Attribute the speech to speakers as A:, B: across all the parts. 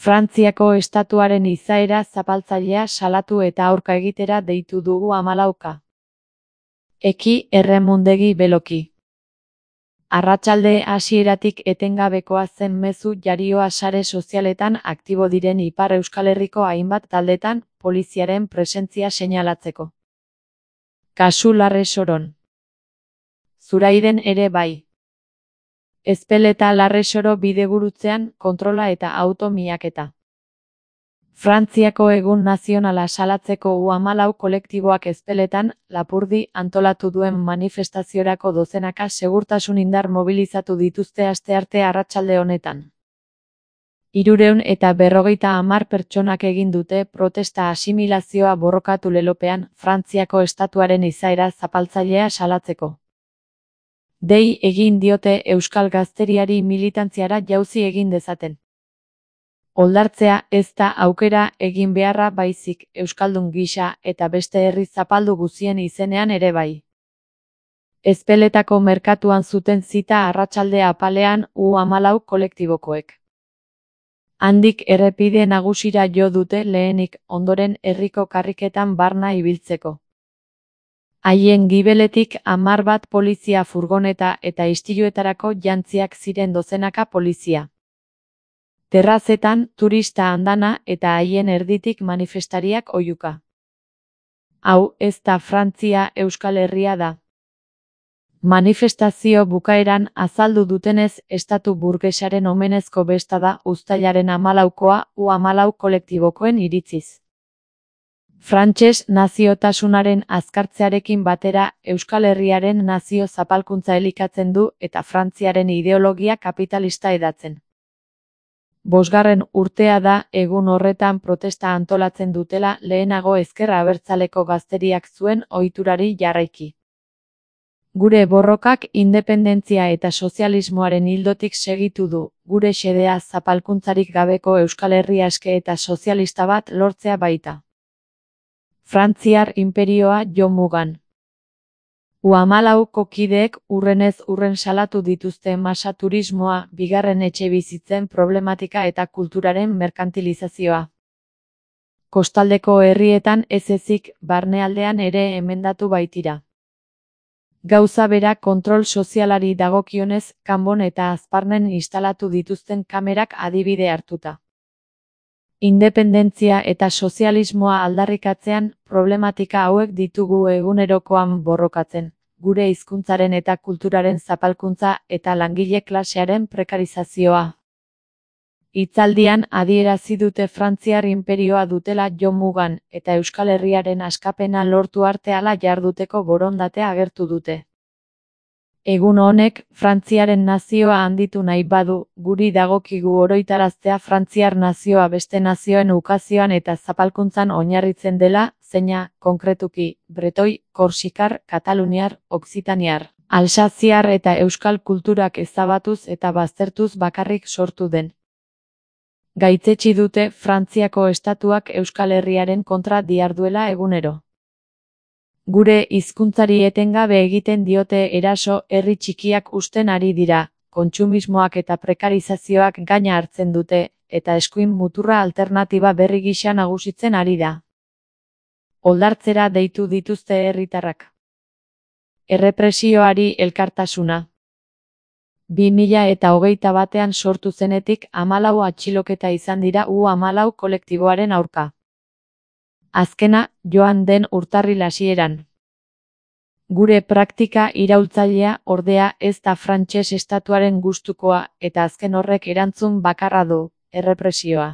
A: Frantziako estatuaren izaera zapaltzailea salatu eta aurka egitera deitu dugu 14. Eki erremundegi beloki. Arratsalde hasieratik etengabekoa zen mezu jarioa sare sozialetan aktibo diren Ipar Euskal Herriko hainbat taldetan poliziaren presentzia seinalatzeko. Kasu Larresoron. Zurairen ere bai. Ezpeleta Larresoro bidegurutzean kontrola eta auto miaketa. Frantziako egun nazionala salatzeko U14 kolektiboak Ezpeletan, Lapurdi antolatu duen manifestaziorako dozenaka segurtasun indar mobilizatu dituzte astearte arratsalde honetan. 350 pertsonak egin dute protesta asimilazioa borrokatu lelopean Frantziako estatuaren izaera zapaltzailea salatzeko. Dei egin diote euskal gazteriari militantziara jauzi egin dezaten. Oldartzea ez da aukera egin beharra baizik euskaldun gisa eta beste herri zapaldu guzien izenean ere bai. Ezpeletako merkatuan zuten zita arratsalde apalean U14 kolektibokoek. Handik errepide nagusira jo dute lehenik, ondoren herriko karriketan barna ibiltzeko. Haien gibeletik 10 polizia furgoneta eta istiluetarako jantziak ziren dozenaka polizia. Terrazetan turista andana eta haien erditik manifestariak oihuka. Hau ez da Frantzia, Euskal Herria da. Manifestazio bukaeran azaldu dutenez estatu burgesaren omenezko besta da uztailaren 14koa U14 kolektibokoen iritziz. Frantses naziotasunaren azkartzearekin batera Euskal Herriaren nazio zapalkuntza elikatzen du eta Frantziaren ideologia kapitalista hedatzen. 5. urtea da egun horretan protesta antolatzen dutela lehenago ezker abertzaleko gazteriak zuen ohiturari jarraiki. Gure borrokak independentzia eta sozialismoaren ildotik segitu du, gure xedea zapalkuntzarik gabeko Euskal Herri aske eta sozialista bat lortzea baita. Frantziar inperioa jo mugan. U14ko kideek urrenez urren salatu dituzte masa turismoa, bigarren etxebizitzen problematika eta kulturaren merkantilizazioa. Kostaldeko herrietan ez ezik, barnealdean ere emendatu baitira. Gauza bera kontrol sozialari dagokionez, Kanbon eta Azparnen instalatu dituzten kamerak adibide hartuta. Independentzia eta sozialismoa aldarrikatzean, problematika hauek ditugu egunerokoan borrokatzen, gure hizkuntzaren eta kulturaren zapalkuntza eta langile klasearen prekarizazioa. Hitzaldian adierazi dute Frantziar inperioa dutela jo mugan eta Euskal Herriaren askapena lortu arte hala jarduteko borondatea agertu dute. Egun honek, Frantziaren nazioa handitu nahi badu, guri dagokigu oroitaraztea Frantziar nazioa beste nazioen ukazioan eta zapalkuntzan oinarritzen dela, zeina, konkretuki, bretoi, korsikar, kataluniar, oksitaniar, alsaziar eta euskal kulturak ezabatuz eta baztertuz bakarrik sortu den. Gaitzetsi dute Frantziako estatuak Euskal Herriaren kontra diharduela egunero. Gure hizkuntzari etengabe egiten diote eraso, herri txikiak husten ari dira, kontsumismoak eta prekarizazioak gaina hartzen dute, eta eskuin muturra alternatiba berri gisa nagusitzen ari da. Oldartzera deitu dituzte herritarrak. Errepresioari elkartasuna. 2021 sortu zenetik 14 atxiloketa izan dira U14 kolektiboaren aurka. Azkena, joan den urtarril hasieran. Gure praktika iraultzailea ordea ez da frantses estatuaren gustukoa eta azken horrek erantzun bakarra du, errepresioa.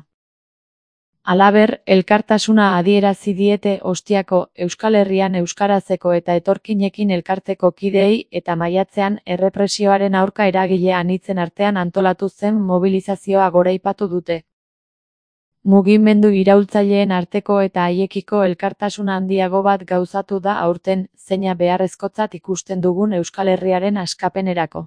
A: Halaber, elkartasuna adierazi diete Ostiako, Euskal Herrian euskarazeko eta etorkinekin elkarteko kideei eta maiatzean errepresioaren aurka eragile anitzen artean antolatu zen mobilizazioa goraipatu dute. Mugimendu iraultzaileen arteko eta haiekiko elkartasun handiago bat gauzatu da aurten, zeina beharrezkotzat ikusten dugun Euskal Herriaren askapenerako.